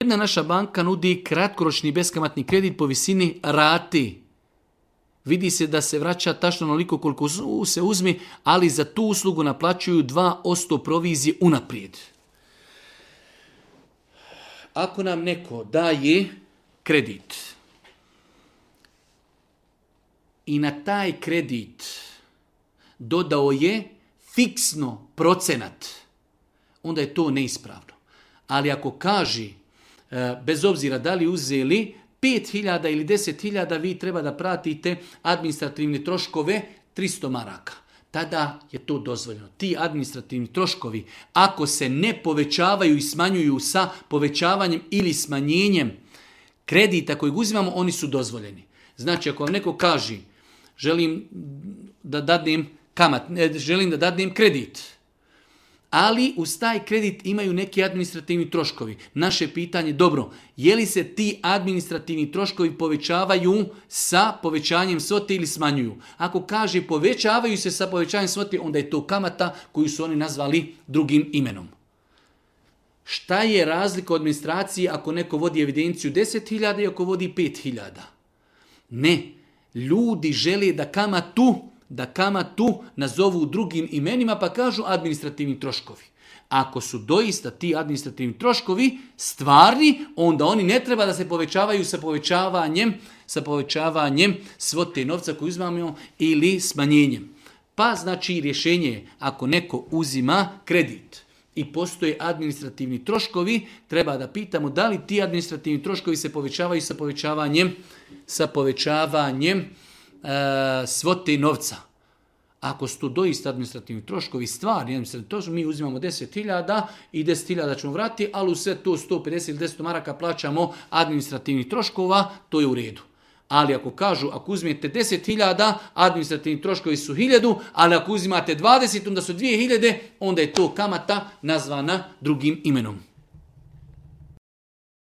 Jedna naša banka nudi kratkoročni beskamatni kredit po visini rati. Vidi se da se vraća tačno onoliko koliko se uzmi, ali za tu uslugu naplaćuju 2% provizije unaprijed. Ako nam neko daje kredit i na taj kredit dodao je fiksno procenat, onda je to neispravno. Ali ako kaže, bez obzira da li uzeli 5.000 ili 10.000, vi treba da pratite administrativne troškove 300 maraka. Tada je to dozvoljeno. Ti administrativni troškovi, ako se ne povećavaju i smanjuju sa povećavanjem ili smanjenjem kredita kojeg uzimamo, oni su dozvoljeni. Znači, ako vam neko kaže, želim da dadnem kredit, ali uz taj kredit imaju neki administrativni troškovi. Naše pitanje, dobro, je li se ti administrativni troškovi povećavaju sa povećanjem svote ili smanjuju? Ako kaže povećavaju se sa povećanjem svote, onda je to kamata koju su oni nazvali drugim imenom. Šta je razlika od administracije ako neko vodi evidenciju 10.000 i ako vodi 5.000? Ne, ljudi žele da kamatu nazovu drugim imenima pa kažu administrativni troškovi. Ako su doista ti administrativni troškovi stvarni, onda oni ne treba da se povećavaju sa povećavanjem svote novca koju uzimamo ili smanjenjem. Pa znači rješenje je, ako neko uzima kredit i postoje administrativni troškovi, treba da pitamo da li ti administrativni troškovi se povećavaju sa povećavanjem svote novca. Ako su to doista administrativni troškovi stvarni, mi uzimamo 10.000 i 10.000 ćemo vratiti, ali u sve to 150 ili 10 maraka plaćamo administrativnih troškova, to je u redu. Ali ako kažu, ako uzmete 10.000, administrativni troškovi su 1.000, ali ako uzimate 20, onda su 2.000, onda je to kamata nazvana drugim imenom.